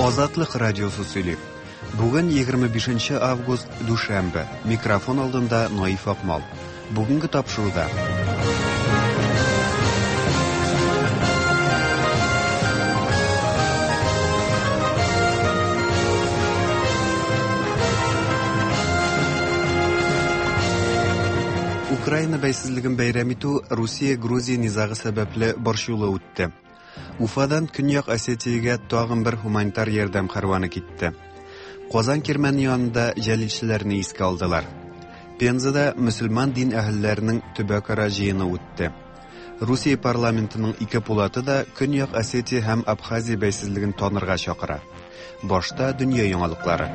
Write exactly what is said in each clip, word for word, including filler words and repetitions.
Азатлык радиосы сөйли. Бүген егерме бишенче август, дүшәмбе. Микрофон алдында Наиф Акмал. Бүгенге тапшыруда. Украина бәйсезлеген бәйрәм итү Русия-Грузия низагы сәбәпле борчулы үтте. Уфадан Көньяк Осетиягә тагын бер гуманитар ярдәм кәрваны китте. Казан кирмәне янында җәлилчеләрне искә алдылар. Пензада мөселман дин әһелләренең төбәкара җыены үтте. Русия парламентының ике пулаты да Көньяк Осетия һәм Абхазия бәйсезлеген танырга чакыра. Башта дөнья яңалыклары.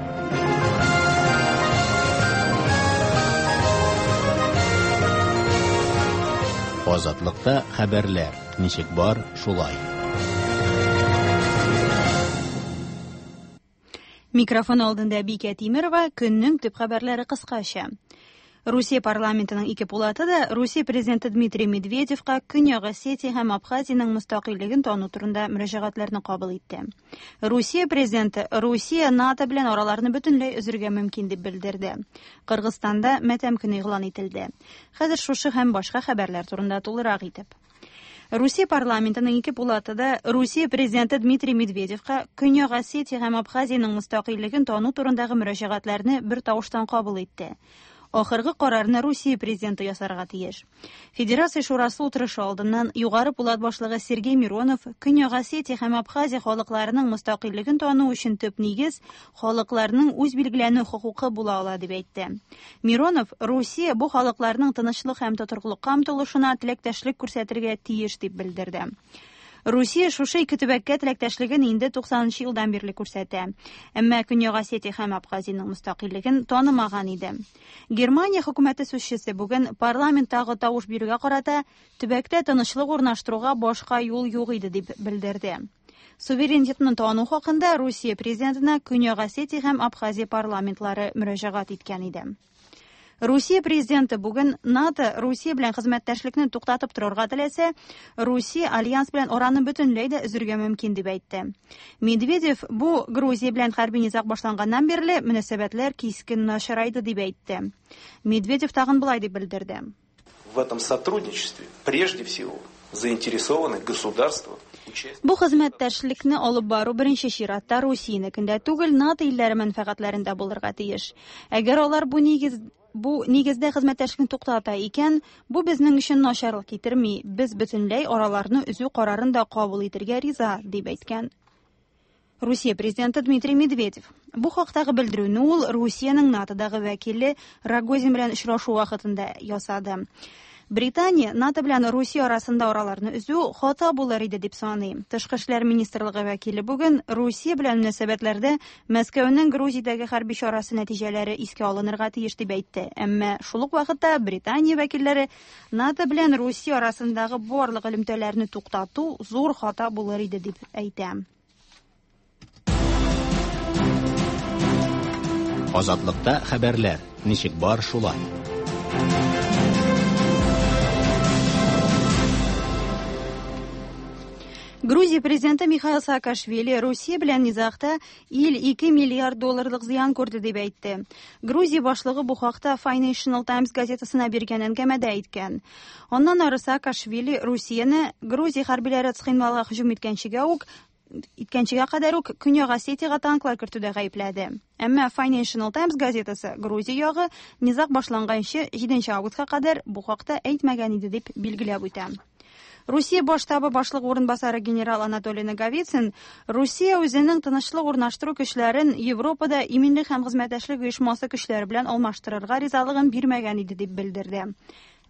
Азатлыкта хәбәрләр ничек бар, шулай. Микрофон алдында Бикә Тимирова, көннең төп хәбәрләре кыскача. Русия парламентының ике пулаты да Русия президенты Дмитрий Медведевка Көньяк Осетия һәм Абхазиянең мөстәкыйльлеген тану турында мөрәҗәгатьләрне кабул итте. Русия президенты Русия НАТО белән араларны бөтенләй өзергә мөмкин дип белдерде. Кыргызстанда матәм көне игълан ителде. Хәзер шушы һәм башка хәбәрләр турында тулырак итеп. Русия парламентының ике пулаты да Русия президенты Дмитрий Медведевка Көньяк Осетия һәм Абхазиянең мөстәкыйльлеген тану турындагы мөрәҗәгатьләрне бер тавыштан кабул итте. Ахыргы карарны Русия президенты ясарга тиеш. Федерация шурасы утырышы алдыннан Югары пулат башлыгы Сергей Миронов Көньяк Осетия һәм Абхазия халыкларының мөстәкыйльлеген тану өчен төп нигез халыкларның үз билгеләнү хокукы була ала дип әйтте. Миронов Русия бу халыкларның тынычлык һәм тотрыклыкка омтылышына теләктәшлек күрсәтергә тиеш дип белдерде. Русия шушы ике төбәккә теләктәшлеген инде туксанынчы елдан бирле күрсәтә. Әмма Көньяк Осетия һәм Абхазиянең мөстәкыйльлеген танымаган иде. Германия хөкүмәте сүзчесе бүген парламенттагы тавыш бирүгә карата төбәктә тынычлык урнаштыруга башка юл юк иде дип белдерде. Суверенитетны тану хакында Русия президентына Көньяк Осетия һәм Абхазия парламентлары мөрәҗәгать иткән иде. Русия президенты бүген НАТО Русия белән хезмәттәшлекне туктатып торырга теләсә, Русия альянс белән араны бөтенләй дә өзергә мөмкин дип әйтте. Медведев бу Грузия белән хәрби низаг башланганнан бирле мөнәсәбәтләр кискен начарайды дип әйтте. Медведев тагын болай дип белдерде. В этом сотрудничестве прежде всего заинтересованы государства. Бу хезмәттәшлекне алып бару беренче чиратта Русиянекендә түгел, НАТО илләре мәнфәгатьләрендә булырга тиеш. Әгәр алар бу нигез Бу нигездә хезмәттәшлекне туктата икән, бу безнең өчен начарлык китерми. Без бөтенләй араларны өзү карарын да кабул итәргә риза, дип әйткән Русия президенты Дмитрий Медведев. Бу хактагы белдерүне ул Русиянең НАТОдагы вәкиле Рогозин белән очрашу вакытында ясады. Британия НАТО белән Русия арасында араларны өзү хата булыр иде дип саный. Тышкы эшләр министрлыгы вәкиле бүген Русия белән мөнәсәбәтләрдә Мәскәүнең Грузиядәге хәрби чарасы нәтиҗәләре искә алынырга тиеш дип әйтте. Әмма шул ук вакытта Британия вәкилләре НАТО белән Русия арасындагы барлык элемтәләрне туктату зур хата булыр иде дип әйтә. Азатлыкта хәбәрләр ничек бар, шулай. Грузия президенты Михаил Саакашвили Русия белән низагта ил ике миллиард долларлык зыян күрде дип әйтте. Грузия башлыгы бу хакта Financial Times газетасына биргән әңгәмәдә әйткән. Аннан ары Саакашвили Русияне Грузия хәрбиләре Цхинвалга һөҗүм иткәнчегә үк иткәнчегә кадәр үк Көньяк Осетиягә танклар кертүдә гаепләде. Әмма Financial Times газетасы Грузия ягы низаг башланганчы җиденче августка кадәр бу хакта әйтмәгән иде дип билгеләп үтә. Русия баш штабы башлыгы урынбасары генерал Анатолий Наговицын Русия үзенең тынычлык урнаштыру көчләрен Европада иминлек һәм хезмәттәшлек оешмасы көчләре белән алмаштырырга ризалыгын бирмәгән иде дип белдерде.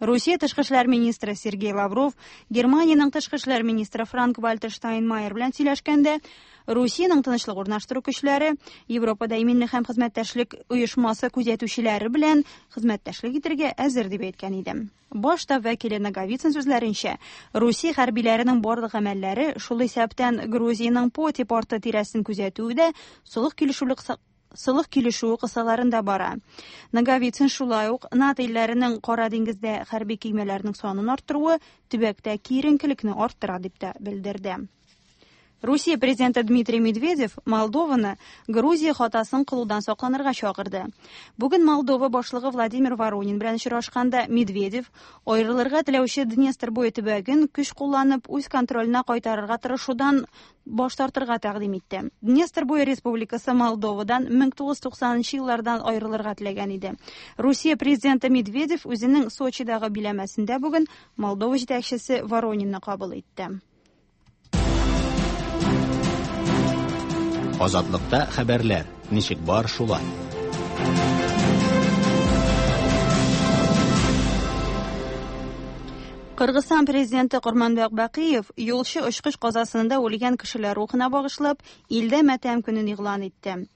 Русия тышкы эшләр министры Сергей Лавров Германиянең тышкы эшләр министры Франк-Вальтер Штайнмайер белән сөйләшкәндә Русиянең тынычлык урнаштыру көчләре Европада иминлек һәм хезмәттәшлек оешмасы күзәтүчеләре белән хезмәттәшлек итәргә әзер дип әйткән иде. Баш штаб вәкиле Наговицын сүзләренчә, Русия хәрбиләренең барлык гамәлләре, шул исәптән Грузиянең Поти порты тирәсен күзәтүе дә солых килешүлек Солых килешүе кысаларында бара. Наговицын шулай ук НАТО илләренең Кара диңгездә хәрби көймәләрнең санын арттыруы төбәктә киеренкелекне арттыра дип тә белдерде. Русия президенты Дмитрий Медведев Молдованы Грузия хатасын кылудан сакланырга чакырды. Бүген Молдова башлыгы Владимир Воронин белән очрашканда Медведев аерылырга теләүче Днестр буе төбәген көч кулланып үз контроленә кайтарырга тырышудан баш тартырга тәкъдим итте. Днестр буе республикасы Молдовадан мең тугыз йөз туксанынчы еллардан аерылырга теләгән иде. Русия президенты Медведев үзенең Сочидагы биләмәсендә бүген Молдова җитәкчесе Воронинны кабул итте. Азатлыкта хәбәрләр ничек бар шулай. Кыргызстан президенты Курманбек Бакиев юлчы очкыч казасында үлгән кешеләр рухына багышлап, илдә матәм көнен игълан итте.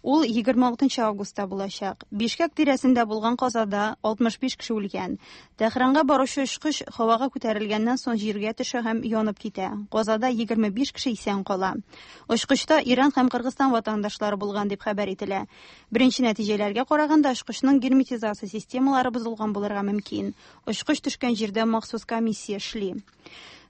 Ул егерме алтынчы августта булачак. Бишкек тирәсендә булган казада алтмыш биш кеше үлгән. Тәһранга баручы очкыч һавага күтәрелгәннән соң җиргә төшә һәм янып китә. Казада егерме биш кеше исән кала. Очкычта Иран һәм Кыргызстан ватандашлары булган дип хәбәр ителә. Беренче нәтиҗәләргә караганда очкычның герметизация системалары бозылган булырга мөмкин. Очкыч төшкән җирдә махсус комиссия эшли.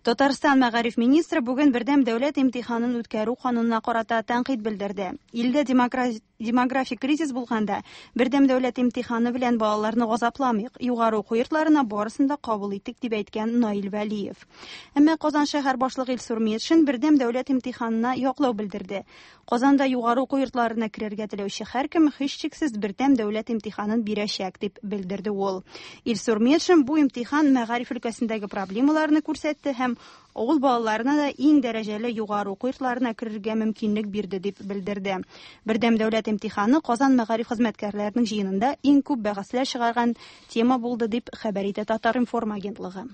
Татарстан мәгариф министры бүген бердәм дәүләт имтиханын үткәрү канунына карата тәнкыйть белдерде. Илдә демографик кризис булганда бердәм дәүләт имтиханы белән балаларны газапламыйк, югары уку йортларына барысын да кабул иттек дип әйткән Наил Вәлиев. Әмма Казан шәһәр башлыгы Илсур Метшин бердәм дәүләт имтиханына яклау белдерде. Казанда югары уку йортларына керергә теләүче һәркем һичшиксез бердәм дәүләт имтиханын бирәчәк дип белдерде ул. Илсур Метшин бу имтихан мәгариф өлкәсендәге проблемаларны күрсәтте һәм авыл балаларына да иң дәрәҗәле югары уку йортларына керергә мөмкинлек бирде дип белдерде. Бердәм дәүләт имтиханы Казан мәгариф хезмәткәрләренең җыенында иң күп бәхәсләр чыгарган тема булды дип хәбәр итә Татар-информ агентлыгы.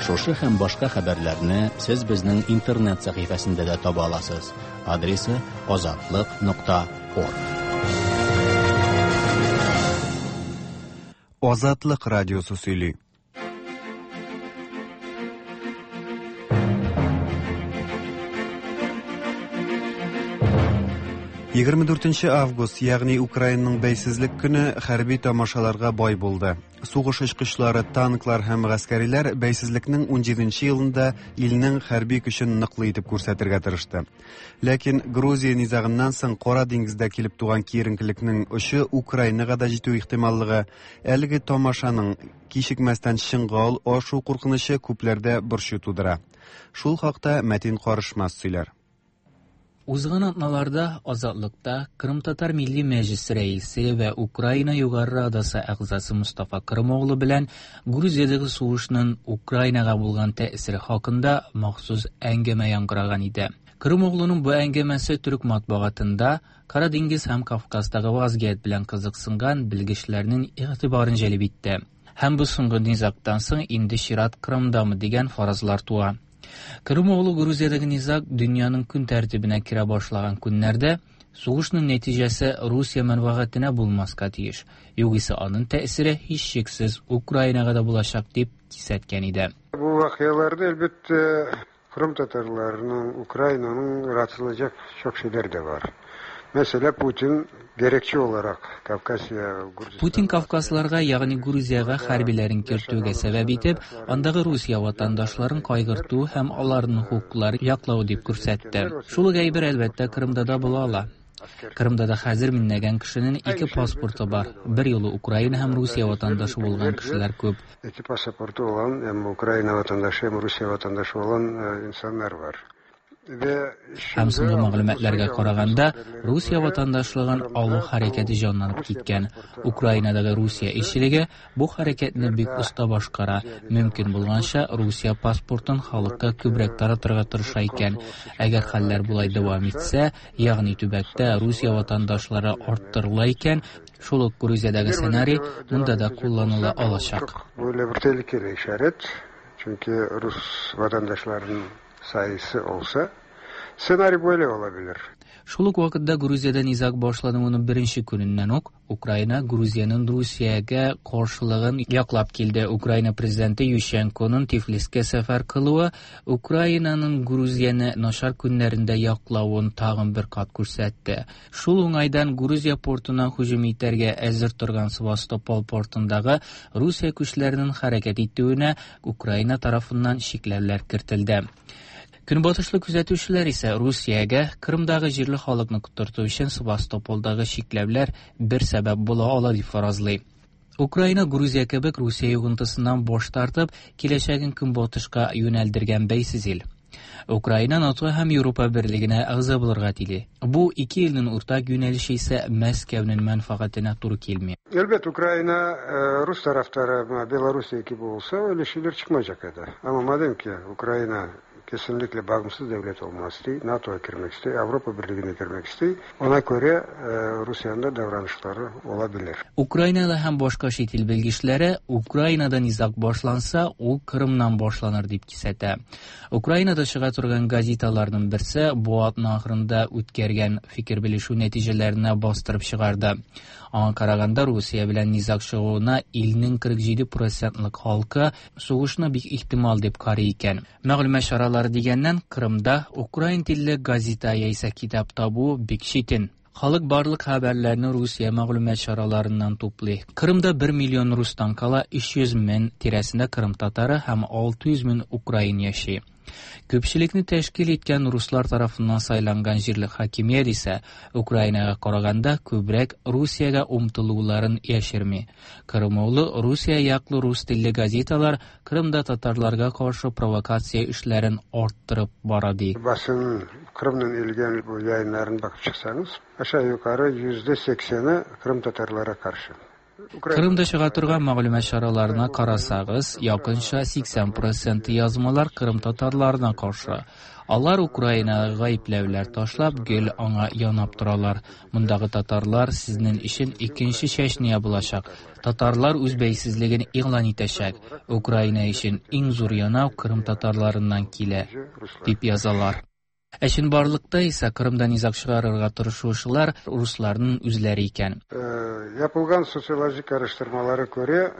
Шушы һәм башка хәбәрләрне сез безнең интернет сәхифәсендә дә таба аласыз. Адресы азатлык нокта орг. Азатлык радиосы сөйли. Егерме дүртенче август, ягъни Украинаның бәйсезлек көне хәрби тамашаларга бай булды. Сугыш очкычлары, танклар һәм гаскәриләр бәйсезлекнең унҗиденче елында илнең хәрби көчен ныклы итеп күрсәтергә тырышты. Ләкин Грузия низагыннан соң Кара диңгездә килеп туган киеренкелекнең очы Украинага да җитү ихтималлыгы, әлеге тамашаның кичекмәстән чынга ашу куркынычы күпләрдә борчу тудыра. Шул хакта Мәтин Карышмас сөйләр. Узган атналарда Азатлыкта Кырым Татар Милли Мәҗлисе рәисе вә Украина Югары Радасы әгъзасы Мустафа Кырымоглу белән Грузиядәге сугышның Украинага булган тәэсире хакында махсус әңгәмә яңгыраган иде. Кырымоглуның бу әңгәмәсе төрек матбугатында Кара диңгез һәм Кавказдагы вазгыять белән кызыксынган белгечләрнең игътибарын җәлеп итте. Һәм бу соңгы низагтан соң инде чират Кырымдамы дигән фаразлар туа. Кырымоглу Грузиядәге низаг дөньяның көн тәртибенә керә башлаган көннәрдә сугышның нәтиҗәсе Русия мәнфәгатенә булмаска тиеш. Югыйсә аның тәэсире һичшиксез Украинага да булачак дип кисәткән иде. Бу вакыяларда әлбәттә Кырым татарларының, Украинаның rahatlayacak çok şeyler de var. Mesela Putin gerekçe olarak Kafkasya, Gürcistan... Putin Kafkaslarга, ягъни Грузиягә хәрбиләрен кертүгә сәбәп итеп, андагы Русия ватандашларын кайгырту һәм аларның хокукларын яклау дип күрсәтте. Шул ук әйбер әлбәттә Кырымда да була ала. Кырымда да хәзер меңләгән кешенең ике паспорты бар. Бер юлы Украина һәм Русия ватандашы булган кешеләр күп. Ике паспорты булган, һәм Украина ватандашы, һәм Русия ватандашы булган инсаннар бар. Һәм соңгы мәгълүматларга караганда, Русия ватандашлыгын алу хәрәкәте җанланып киткән. Украинадагы Русия илчелеге бу хәрәкәтне бик оста башкара. Мөмкин булганча Русия паспортын халыкка күбрәк таратырга тырыша икән. Әгәр хәлләр болай дәвам итсә, ягъни төбәктә Русия ватандашлары арттырыла икән, шул ук Грузиядәге сценарий монда да кулланыла алачак. Böyle bir tehlikeli işaret. Çünkü Rus vatandaşlarının sayısı olsa senaryo böyle olabilir. Шул ук вакытта Грузиядә низаг башлануының беренче көненнән үк Украина Грузиянең Русиягә каршылыгын яклап килде. Украина президенты Ющенконың Тифлискә сәфәр кылуы Украинаның Грузияне начар көннәрендә яклавын тагын бер кат күрсәтте. Шул уңайдан Грузия портына һөҗүм итәргә әзер торган Севастополь портындагы Русия көчләренең хәрәкәт итүенә Украина тарафыннан чикләүләр кертелде. Көнбатышлы күзәтүчеләр исә Русиягә Кырымдагы җирле халыкны котырту өчен Севастополдагы чикләүләр бер сәбәп була ала дип фаразлый. Украина Грузия кебек Русия йогынтысыннан баш тартып, киләчәген көнбатышка юнәлдергән бәйсез ил. Украина НАТО һәм Европа берлегенә әгъза булырга тели. Бу ике илнең уртак юнәлеше исә Мәскәүнең мәнфәгатенә туры килми. Elbet Ukrayna e, Rus taraftarı Belarusya gibi olsa öyle şeyler çıkmayacak edi. Ama madem ki Ukrayna kesinlikle bağımsız devlet olmak istiyor, NATO'ya girmek istiyor, Avrupa Birliği'ne girmek istiyor, ona göre e, Rusya'nın da davranışları olabilir. Ukraynalı һәм башка чит ил белгечләре Украинада низаг башланса, ул Кырымнан башланыр дип кисәтә. Украинада чыга торган газеталарның берсе бу атна ахырында үткәргән фикер белешү нәтиҗәләренә бастырып чыгарды. Аңа караганда Русия белән низаг чыгуына илнең кырык җиде процентлык халкы сугышны бик ихтимал дип карый икән. Мәгълүмат чаралары дигәннән, Кырымда украин телле газета яисә китап табу бик читен. Халык барлык хәбәрләрне Русия мәгълүмат чараларыннан туплый. Кырымда бер миллион рустан кала өч йөз мең тирәсендә кырым татары һәм алты йөз мең украин яши. Күпчелекне тәшкил иткән руслар тарафыннан сайланган җирле хакимият исә Украинага караганда күбрәк Русиягә омтылуларын яшерми. Кырымоглы Русия яклы рус телле газеталар Кырымда татарларга каршы провокация эшләрен арттырып бара ди. Basın Kırım'dan ilgili bu yayınların bakıp çıksanız aşağı yukarı yüzde sekseni Kırım Tatarlara karşı. Кырымда чыга торган мәгълүмат чараларына карасагыз, якынча сиксән процент язмалар Кырым татарларына каршы. Алар Украинага гаепләүләр ташлап, гел аңа янап торалар. Мондагы татарлар сезнең өчен икенче Чечня булачак. Татарлар үз бәйсезлеген игълан итәчәк. Украина өчен иң зур янау Кырым татарларыннан килә, дип язалар. Ә чынбарлыкта исә Кырымда низаг чыгарырга тырышучылар русларның үзләре икән. Yapılgan sosyolojik araştırmalara göre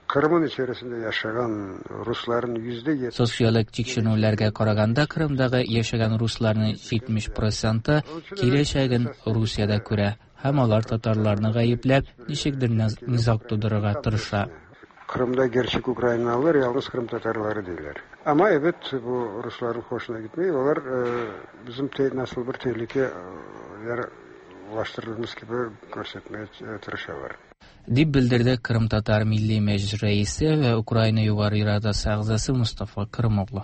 Kırım'ın içerisinde yaşayan Rusların yüzde yetmiş Социологик тикшеренүләргә караганда Кырымдагы яшәгән русларның җитмеш проценты киләчәген Русиядә күрә һәм алар татарларны гаепләп ничектер низаг тудырырга тырыша. Kırım'da gerçek Ukraynalılar yalnız Kırım Tatarları değiller. Ama evet bu Rusların hoşuna gitmiyor. Onlar e, bizim te, nasıl bir tehlike e, ulaştırdığımız gibi göstermeye tırışıyorlar. Дип белдерде Кырым Татар Милли Мәҗлис рәисе вә Украина Югары Радасы әгъзасы Мустафа Кырымоглы.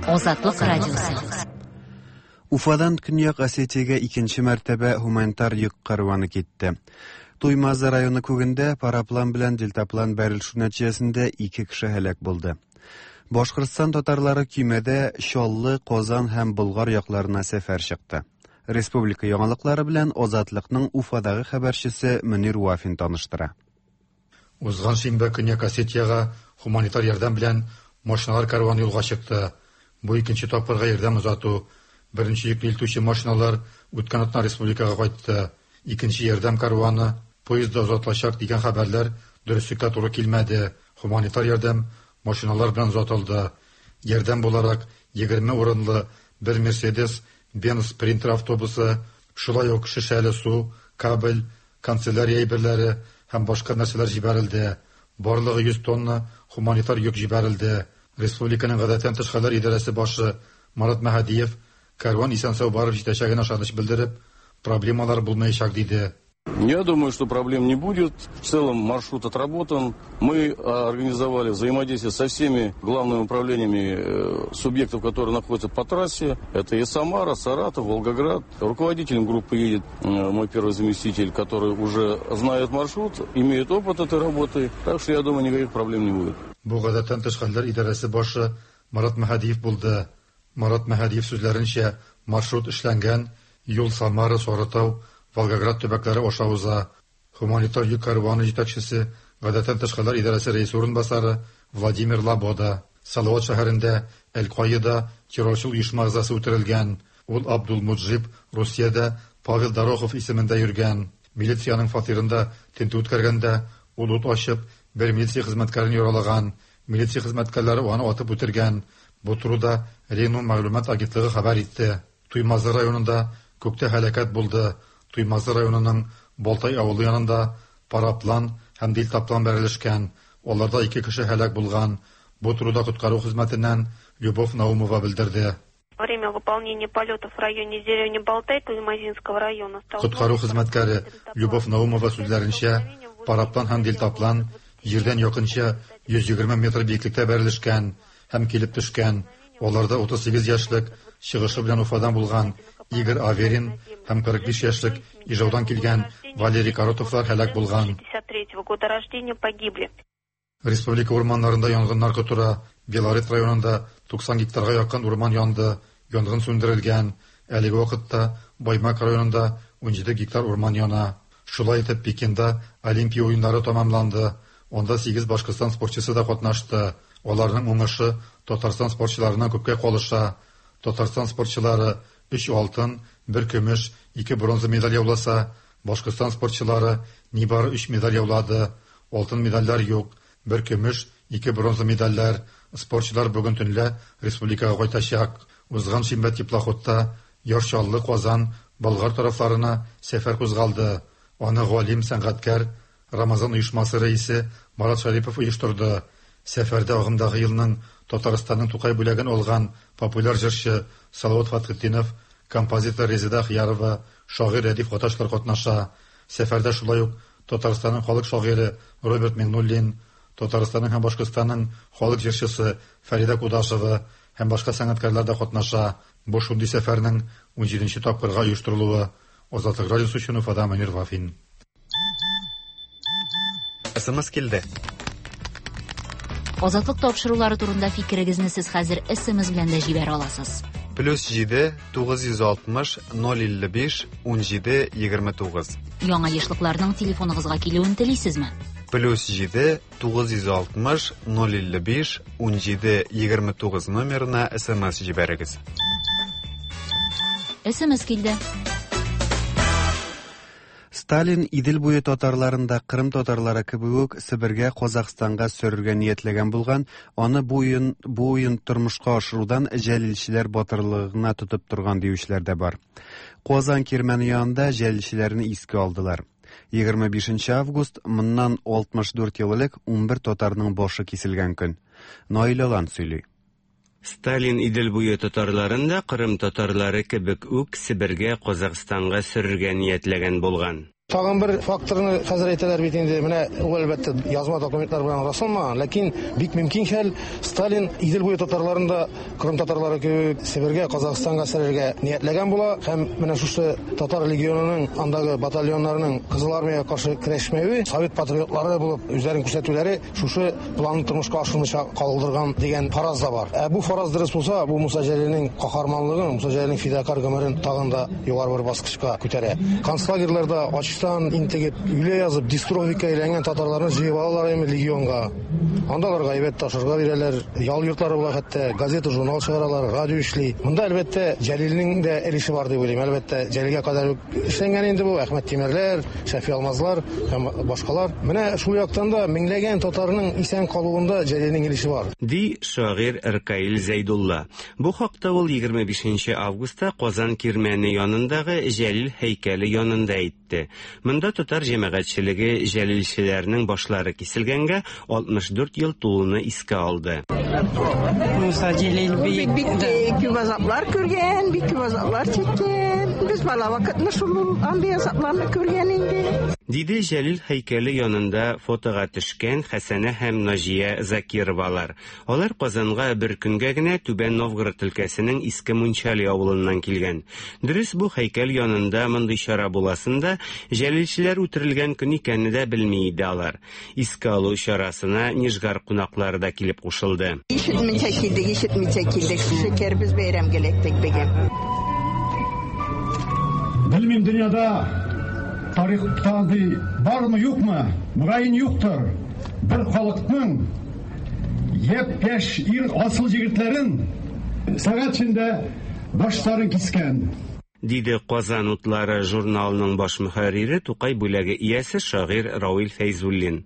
Азатлык радиосы. Уфадан Көньяк Осетиягә икенче мәртәбә гуманитар йөк караваны китте. Туймазы районы күгендә параплан белән дельтаплан бәрелешү нәтиҗәсендә ике кеше һәлак булды. Башкортстан татарлары көймәдә Чаллы, Казан һәм Болгар якларына сәфәр чыкты. Республика яңалыклары белән Азатлыкның Уфадагы хәбәрчесе Мөнир Вафин таныштыра. Узган шимбә Көньяк Осетиягә гуманитар ярдәм белән машиналар караваны юлга чыкты. Бу икенче тапкырга ярдәм озату. Беренче йөкне илтүче машиналар үткән атна республикага кайтты. Икенче ярдәм караваны поездда озатылачак дигән хәбәрләр дөреслеккә туры килмәде. Гуманитар ярдәм машиналар белән озатылды. Ярдәм буларак егерме урынлы бер Mercedes Benz Sprinter автобусы, шулай ук шешәле су, кабель, канцелярия әйберләре һәм башка нәрсәләр җибәрелде. Барлыгы йөз тонна гуманитар йөк җибәрелде. Республиканың гадәттән тыш хәлләр идарәсе башы Марат Мәһдиев караван исән-сау барып җитәчәгенә ышаныч белдереп, проблемалар булмаячак диде. Я думаю, что проблем не будет. В целом маршрут отработан. Мы организовали взаимодействие со всеми главными управлениями субъектов, которые находятся по трассе. Это и Самара, Саратов, Волгоград. Руководителем группы едет мой первый заместитель, который уже знает маршрут, имеет опыт этой работы. Так что, я думаю, никаких проблем не будет. Бу гадәттән тыш хәлләр идарәсе башы Марат Мәһдиев булды. Марат Мәһдиев сүзләренчә, маршрут эшләнгән, юл Самара, Сарытау, Волгоград төбәкләре аша уза. Гуманитар йөк караваны җитәкчесе, гадәттән тыш хәлләр идарәсе рәисе урынбасары Владимир Лабода. Салават шәһәрендә Әл-Каида террорчыл оешма әгъзасы үтерелгән. Ул Абдул Муджиб Русиядә Павел Дорохов исемендә йөргән. Милициянең фатирында тентү үткәргәндә ул ут ачып бер милиция хезмәткәрен яралаган. Милиция хезмәткәрләре аны атып үтергән. Бу турыда Рено мәгълүмат агентлыгы хәбәр итте. Туймазы районында күктә һәлакәт булды. Туймазы районының Балтай авылы янында параплан һәм дельтаплан бәрелешкән. Аларда ике кеше һәлак булган. Бу турыда коткару хезмәтеннән Любовь Наумова белдерде. Во время выполнения полетов в районе деревни Балтай Туймазинского района Коткару хезмәткәре Любовь Наумова сүзләренчә, параплан һәм дельтаплан җирдән якынча йөз егерме метр биеклектә бәрелешкән һәм килеп төшкән. Аларда утыз сигез яшьлек чыгышы белән Уфадан булган Игорь Аверин һәм кырык биш яшьлек Ижаудан килгән Валерий Коротовлар һәлак булган. шестьдесят третьего года рождения погибли. Республика урманнарында янгыннар котыра. Белорет районында туксан гектарга якын урман янды. Янгын сүндерелгән. Әлеге вакытта Баймак районында ун җиде гектар урман яна. Шулай итеп Пекинда Олимпия уеннары тәмамланды. Анда сигез Башкортстан спортчысы да катнашты. Аларның уңышы Татарстан спортчыларыннан күпкә калыша. Татарстан спортчылары өч алтын, бер көмеш, ике бронза медаль яуласа, Башкортстан спортчылары нибары өч медаль яулады. Алтын медальләр юк, бер көмеш, ике бронза медальләр. Спортчылар бүген төнлә республикага кайтачак. Узган шимбә теплоходта Яр Чаллы, Казан, Болгар тарафларына сәфәр кузгалды. Аны галим, сәнгатькәр, Рамазан оешмасы рәисе Марат Шарипов оештырды. Сәфәрдә агымдагы елның Татарстанның Тукай бүләген алган популяр җырчы Салават Фатхетдинов, композитор Резеда Ахиярова, шагыйрь Рәдиф Гаташлар катнаша. Сәфәрдә шулай ук Татарстанның халык шагыйре Роберт Миңнуллин, Татарстанның һәм Башкортстанның халык җырчысы Фәридә Кудашева һәм башка сәнгатькәрләр дә катнаша. Бу шундый сәфәрнең ун җиденче тапкырга оештырылуы. Азатлык радиосы өчен Уфадан Мөнир Вафин. СМС килде. Азатлык тапшырулары турында фикерегезне сез хәзер СМС белән дә җибәрә аласыз. Плюс җиде, тугыз йөз алтмыш, ноль илле биш, ун җиде, егерме тугыз. Яңа ешлыкларның телефоныгызга килүен телисезме? Плюс җиде, тугыз йөз алтмыш, ноль илле биш, ун җиде, егерме тугыз номерына СМС җибәрегез. СМС килде. Сталин Идел буе татарларында Кырым татарлары кебек үк Себергә, Казахстанга сөрергә ниятләгән булган, аны бу уен, бу уен тормышка ашырудан җәлилчеләр батырлыгына тотып торган диючеләр дә бар. Казан кирмәне янында җәлилчеләрне искә алдылар. Егерме бишенче август, моннан алтмыш дүрт ел элек унбер татарның башы киселгән көн. Наил Алан сөйли. Сталин Идел буе татарларын да Кырым татарлары кебек үк Себергә, Казахстанга сөрергә ниятләгән булган. Тагын бер факторны хәзер әйтәләр бит инде, менә ул әлбәттә язма документлар белән расланмаган, ләкин бик мөмкин хәл Сталин Идел буе татарларын да Кырым татарлары кебек Себергә, Казахстанга сөрергә ниятләгән була һәм менә шушы татар легионының андагы батальоннарының Кызыл армиягә каршы көрәшмәве, совет патриотлары булып үзләрен күрсәтүләре шушы планны тормышка ашырмыйча калдырган дигән фараз да бар. Ә бу фараз дөрес булса, бу Муса Җәлилнең каһарманлыгын, Муса Җәлилнең фидакар гомерен тагын да югары бер баскычка күтәрә. Концлагерьларда ач интегеп, үле язып, дистрофика әйләнгән татарларны җыеп алалар инде легионга. Анда аларга әйбәт ташырга бирәләр, ял йортлары була хәтта, газета, журнал чыгаралар, радио эшли. Монда әлбәттә Җәлилнең дә өлеше бар дип уйлыйм. Әлбәттә, Җәлилгә кадәр үк эшләнгән инде бу Әхмәт Тимерләр, Шәфи Алмазлар һәм башкалар. Менә шул яктан да меңләгән татарның исән калуында Җәлилнең өлеше бар. Ди шагыйрь Ркаил Зәйдулла. Бу хакта ул егерме бишенче августта Казан кирмәне янындагы Җәлил һәйкәле янында әйтте. Монда татар җәмәгатьчелеге җәлилчеләрнең башлары киселгәнгә алтмыш дүрт ел тулуны искә алды. Муса Җәлил бик бик күп азаплар күргән, бик күп азаплар чиккән. Без бала вакытны шул андый азапларны күргән инде. Диде Җәлил һәйкәле янында фотога төшкән Хәсәнә һәм Наҗия Закировалар. Алар Казанга бер көнгә генә Түбән Новгород өлкәсенең Иске Мунчали авылыннан килгән. Дөрес, бу һәйкәл янында мондый чара буласын да җәлилчеләр үтерелгән көн икәнне дә белми иде алар. Искә алу чарасына Нижгар кунаклары да килеп кушылды. Ишетмичә килдек, ишетмичә килдек. Шөкер, без бәйрәмгә эләктек бүген. Белмим, дөньяда тарихта андый бармы, юкмы? Мөгаен юктыр. Бер халыкның япь-яшь ир асыл егетләрен сәгать эчендә башларын кискән. Диде Казан утлары журналының баш мөхәррире, Тукай бүләге иясе шагыйрь Равил Фәйзуллин.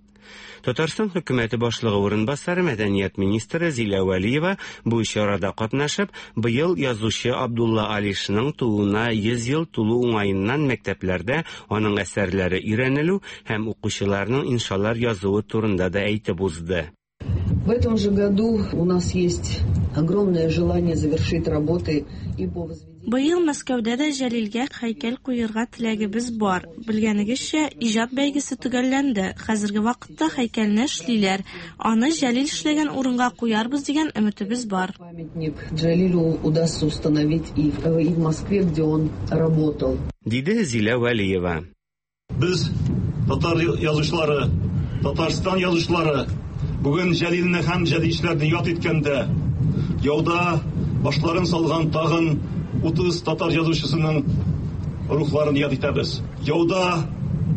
Татарстан хөкүмәте башлыгы урынбасары мәдәният министры Зилә Вәлиева бу чарада катнашып, быел язучы Абдулла Алишның тууына йөз ел тулу уңаеннан мәктәпләрдә аның әсәрләре өйрәнелү һәм укучыларның иншалар язуы турында да әйтеп узды. В этом же году у нас есть огромное желание завершить работы и по возведению. Быел Мәскәүдә дә Җәлилгә һәйкәл куярга теләгебез бар. Белгәнегезчә, иҗат бәйгесе төгәлләнде. Хәзерге вакытта һәйкәлне эшлиләр. Аны Җәлил эшләгән урынга куярбыз дигән өметебез бар. Памятник Джалилю удастся установить и в, и в Москве, где он работал. Диде Зилә Вәлиева. Без татар язучылары, Татарстан язучылары бүген Җәлилне һәм җәдичләрне яд иткәндә, яуда башларын салган тагын утыз татар язучысының рухларын яд итәбез. Яуда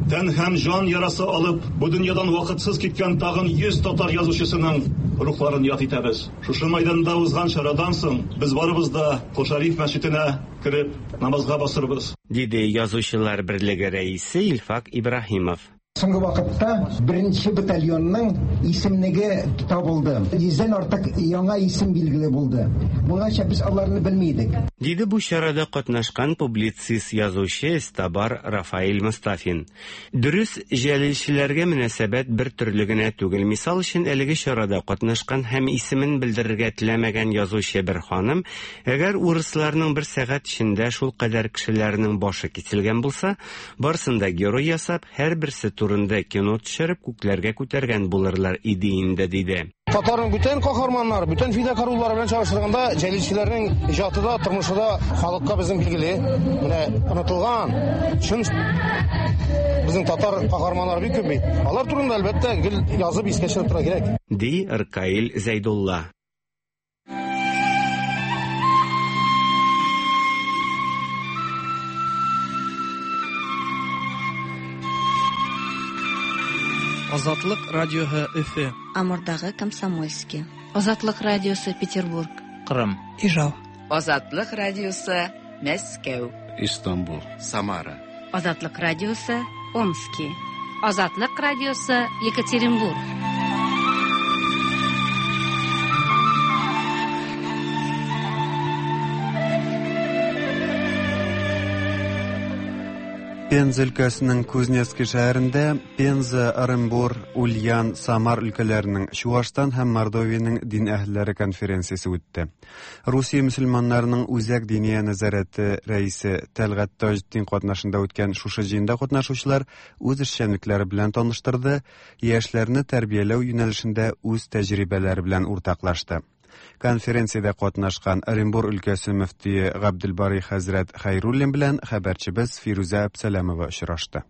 тән һәм җан ярасы алып, бу дөньядан вакытсыз киткән тагын йөз татар язучысының рухларын яд итәбез. Шушы майданда узган чарадан соң без барыбыз да Кол Шәриф мәчетенә кереп намазга басырбыз. Диде Язучылар берлеге рәисе Илфак Ибраһимов. Соңгы вакытта беренче батальонның исемлеге табылды. Йөздән артык яңа исем билгеле булды. Моңача без аларны белми идек. Диде бу чарада катнашкан публицист язучы Эстабар Рафаэль Мустафин. Дөрес, җәлилчеләргә мөнәсәбәт бер төрле генә түгел. Мисал өчен, әлеге чарада катнашкан һәм исемен белдерергә теләмәгән язучы бер ханым, әгәр урысларның бер сәгать эчендә шул кадәр кешеләрнең башы киселгән булса, барсын да герой ясап, һәрберсе турында кино төшереп күкләргә күтәргән булырлар иде инде, диде. Татарның бүтән каһарманнары, бүтән фидакарлары белән чагыштырганда җәлилчеләрнең иҗаты да, тормышы да халыкка безнең билгеле. Менә онытылган чын безнең татар каһарманнары бик күп бит. Алар турында әлбәттә гел язып искә төшереп торырга кирәк. Ди Ркаил Зәйдулла. Азатлык радиоһы Өфе. Амурдагы Комсомольский. Азатлык радиосы Петербург. Кырым. Ижау. Азатлык радиосы Мәскәү. Истанбул. Самара. Азатлык радиосы Омски. Азатлык радиосы Екатеринбург. Пенза өлкәсенең Кузнецкий шәһәрендә Пенза, Оренбур, Ульян, Самар өлкәләренең, Чуашстан һәм Мордовиянең дин әһелләре конференциясе үтте. Русия мөселманнарының Үзәк диния нәзарәте рәисе Тәлгать Таҗетдин катнашында үткән шушы җыенда катнашучылар үз эшчәнлекләре белән таныштырды, яшьләрне тәрбияләү юнәлешендә үз тәҗрибәләре белән уртаклашты. Конференциядә катнашкан Оренбур өлкәсе мөфтие Габделбари хәзрәт Хәйруллин белән хәбәрчебез Фирүзә Әбсәләмова очрашты.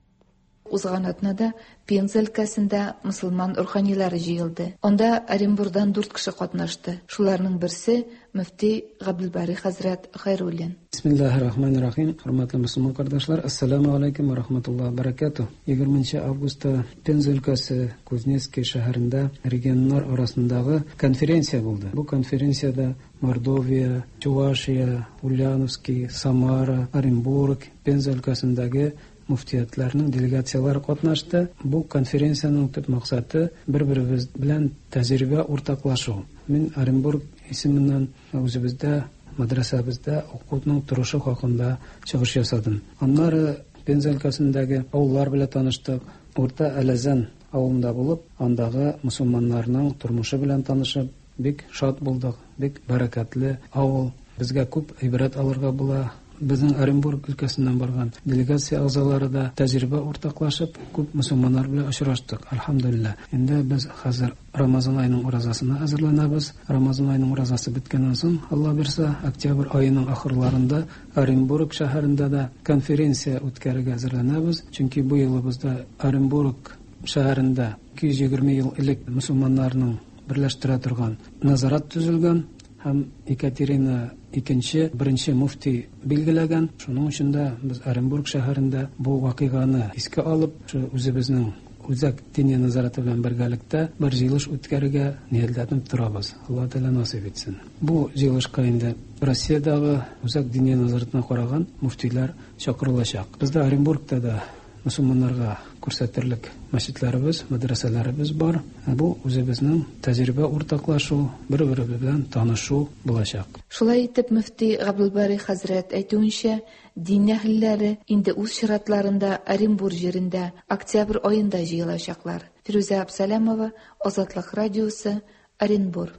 Узган атнада Пенза өлкәсендә мөселман руханилары җыелды. Анда Оренбурдан дүрт кеше катнашты. Шуларның берсе мөфти Габделбари хәзрәт Хәйруллин. Бисмиллахир-рахманир-рахим. Хөрмәтле мөселман кардәшләр, ассаламу алейкум ва рахматуллаһи ва баракатуһ. егерменче августта Пенза өлкәсе Кузнецкий шәһәрендә регионнар арасындагы конференция булды. Бу конференциядә Мордовия, Чувашия, Ульяновский, Самара, Оренбург, Пенза өлкәсендәге муфтиятләрнең делегациялары катнашты. Бу конференциянең төп максаты бер-беребез белән тәҗрибә уртаклашу. Мин Оренбург исеменнән үзебездә, мәдрәсәбездә укуның торышы хакында чыгыш ясадым. Аннары Пенза өлкәсендәге авыллар белән таныштык. Урта Әләзән авылында булып, андагы мусульманнарның тормышы белән танышып, бик шат булдык. Бик бәрәкәтле авыл. Безгә күп гыйбрәт алырга була. Безнең Оренбург өлкәсеннән барган делегация әгъзалары да тәҗрибә уртаклашып, күп мусульманнар белән очраштык. Альхамдулилла. Инде без хәзер Рамазан аеның уразасына әзерләнәбез. Рамазан аеның уразасы беткәннән соң, Алла бирсә, октябрь аеның ахырларында Оренбург шәһәрендә дә конференция үткәрергә әзерләнәбез. Чөнки бу елыбызда Оренбург шәһәрендә ике йөз егерме ел элек мусульманнарның берләштерә торган назарат төзелгән һәм Екатерина икенче беренче муфти билгеләгән. Шуның өчен дә без Оренбург шәһәрендә бу вакыйганы искә алып, үзебезнең Үзәк диния назараты белән бергәлектә бер җыелыш үткәрергә ниятләнеп торабыз. Алла Тәгалә насыйп итсен. Бу җыелышка инде Россиядәге Үзәк диния назаратына караган муфтиләр чакырылачак. Бездә Оренбургта да мөселманнарга күрсәтерлек мәчетләребез, мәдрәсәләребез бар. Бу үзебезнең тәҗрибә уртаклашу, бер-беребез белән танышу булачак. Шулай итеп, мөфти Габдулбари хәзрәт әйтүенчә, дин әһелләре инде үз чиратларында Оренбур җирендә октябрь аенда җыелачаклар. Фирүзә Абсалямова, Азатлык радиосы, Оренбур.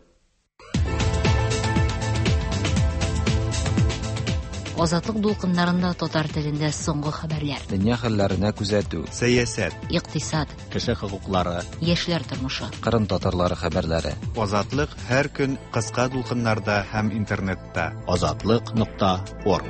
Азатлык дулкыннарында татар телендә соңгы хәбәрләр. Дөнья хәлләренә күзәтү. Сәясәт, икътисад, кеше хокуклары, яшьләр тормышы. Кырым татарлары хәбәрләре. Азатлык һәр көн кыска дулкыннарда һәм интернетта. Азатлык нокта орг.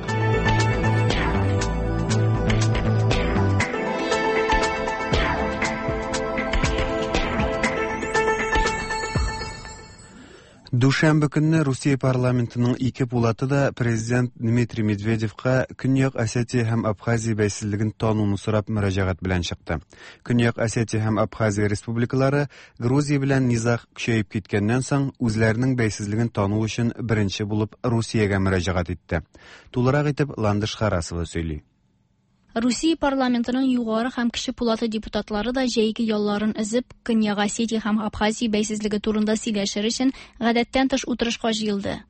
Дүшәмбе көнне Русия парламентының ике пулаты да президент Дмитрий Медведевка Көньяк Осетия һәм Абхазия бәйсезлеген тануны сорап мөрәҗәгать белән чыкты. Көньяк Осетия һәм Абхазия республикалары Грузия белән низаг көчәеп киткәннән соң үзләренең бәйсезлеген тану өчен беренче булып Русиягә мөрәҗәгать итте. Тулырак итеп Ландыш Харасова сөйли. Русия парламентының югары һәм кече пулаты депутатлары да җәйге ялларын өзеп, Көньяк Осетия һәм Абхазия бәйсезлеге турында сөйләшер өчен гадәттән тыш утырышка җыелды.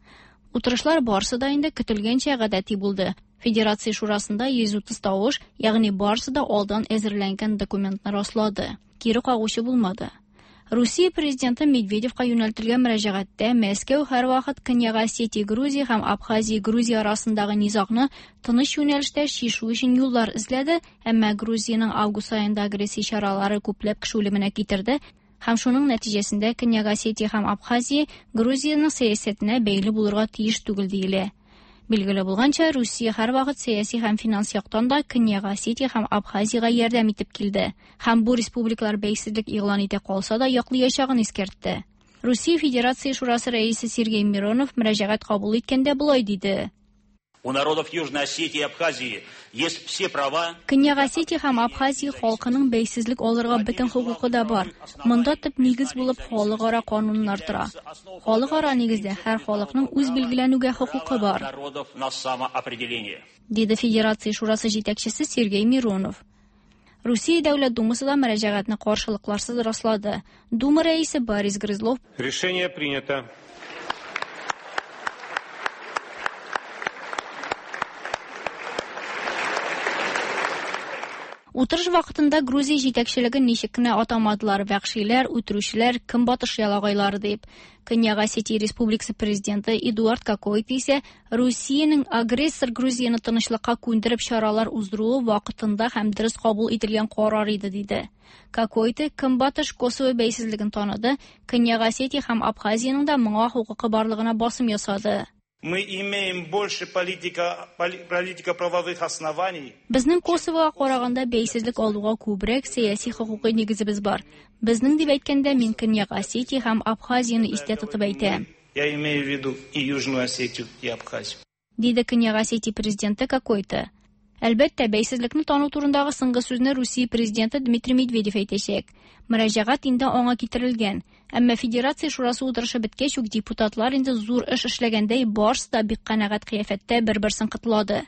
Утырышлар барсы да инде көтелгәнчә гадәти булды. Федерация шурасында йөз утыз тавыш, ягъни барсы да алдан әзерләнгән документны раслады. Кире кагучы булмады. Русия президенты Медведевка юнәлтелгән мөрәҗәгатьтә Мәскәү һәрвакыт Көньяк Осетия Грузия һәм Абхазия Грузия арасындагы низагны тыныч юнәлештә чишү өчен юллар эзләде, әмма Грузиянең август аенда агрессия чаралары күпләп кеше үлеменә китерде һәм шуның нәтиҗәсендә Көньяк Осетия һәм Абхазия Грузиянең сәясәтенә бәйле булырга тиеш түгел диелә. Билгеле булганча, Русия һәрвакыт сәяси һәм финанс яктан да Көньяк Осетия һәм Абхазиягә ярдәм итеп килде. Һәм бу республикалар бәйсезлек игълан итә калса да яклаячагын искәртте. Русия Федерация Шурасы рәисе Сергей Миронов мөрәҗәгать кабул иткәндә болай диде. У народов Южной Осетии и Абхазии есть все права. Көньяк Осетия һәм Абхазия халкының бәйсезлек алырга бөтен хокукы да бар. Монда төп нигез булып халыкара кануннар тора. Халыкара нигездә һәр халыкның үз билгеләнүгә хокукы бар. Народов на самоопределение. Диде Федерация Шурасы җитәкчесе Сергей Миронов. Русия Дәүләт Думасы да мөрәҗәгатьне каршылыкларсыз раслады. Дума рәисе Борис Грызлов: Решение принято. Утырыш вакытында Грузия җитәкчелеген ничек кенә атамадылар: вәхшиләр, үтерүчеләр, көнбатыш ялагайлары дип. Көньяк Осетия Республикасы президенты Эдуард Кокойты исә Русиянең агрессор Грузияне тынычлыкка күндереп чаралар уздыруы вакытында һәм дөрес кабул ителгән карар иде диде. Кокойты Көнбатыш Косово бәйсезлеген таныды, Көньяк Осетия һәм Абхазиянең дә моңа хокукы барлыгына басым ясады. Мы имеем больше политика, политико-правовых оснований. Безнең Косовога караганда бәйсезлек алуга күбрәк сәяси хокукый нигезебез бар. Безнең дип әйткәндә мин Көньяк Осетия һәм Абхазияне истә тотып әйтәм. Я имею в виду и Южную Осетию, и Абхазию. Диде Көньяк Осетия президенты Кокойты. Әлбәттә, бәйсезлекне тану турындагы соңгы сүзне Русия президенты Дмитрий Медведев әйтәчәк. Мөрәҗәгать инде аңа китерелгән. Әмма Федерация Шурасы утырышы беткәч үк депутатлар инде зур эш эшләгәндәй барысы да бик канәгать кыяфәттә бер-берсен котлады.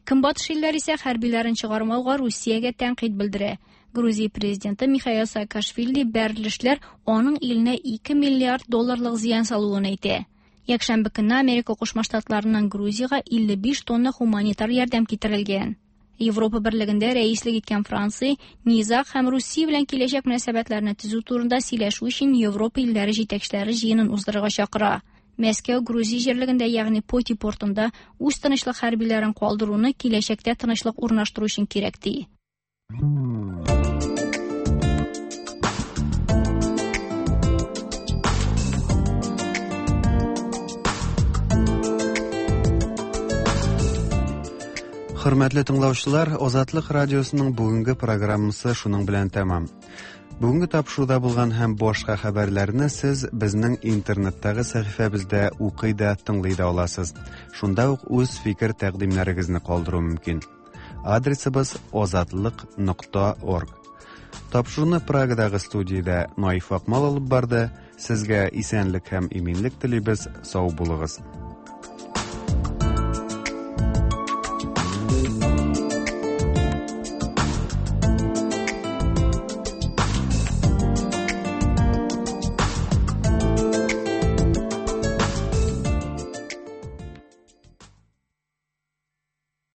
Көнбатыш илләр исә хәрбиләрен чыгармауга Русиягә тәнкыйть белдерә. Грузия президенты Михаил Саакашвили бәрелешләр аның иленә ике миллиард долларлык зыян салуын әйтә. Якшәмбе көнне Америка Кушма Штатларыннан Грузиягә илле биш тонна гуманитар ярдәм китерелгән. Европа Берлегендә рәислек иткән Франция низаг һәм Русия белән киләчәк мөнәсәбәтләрне төзү турында сөйләшү өчен Европа илләре җитәкчеләре җыенын уздырырга чакыра. Мәскәү Грузия җирлегендә, ягъни Поти портында үз тынычлык хәрбиләрен калдыруны киләчәктә тынычлык урнаштыру өчен кирәк ди. Хөрмәтле тыңлаучылар, Азатлык радиосының бүгенге программасы шуның белән тәмам. Бүгенге тапшыруда булган һәм башка хәбәрләрне сез безнең интернеттагы сәхифәбездә укый да, тыңлый да аласыз. Шунда ук үз фикер тәкъдимнәрегезне калдыру мөмкин. Адресыбыз азатлык нокта орг. Тапшыруны Прагадагы студиядә Наиф Акмал алып барды. Сезгә исәнлек һәм иминлек телибез. Сау булыгыз.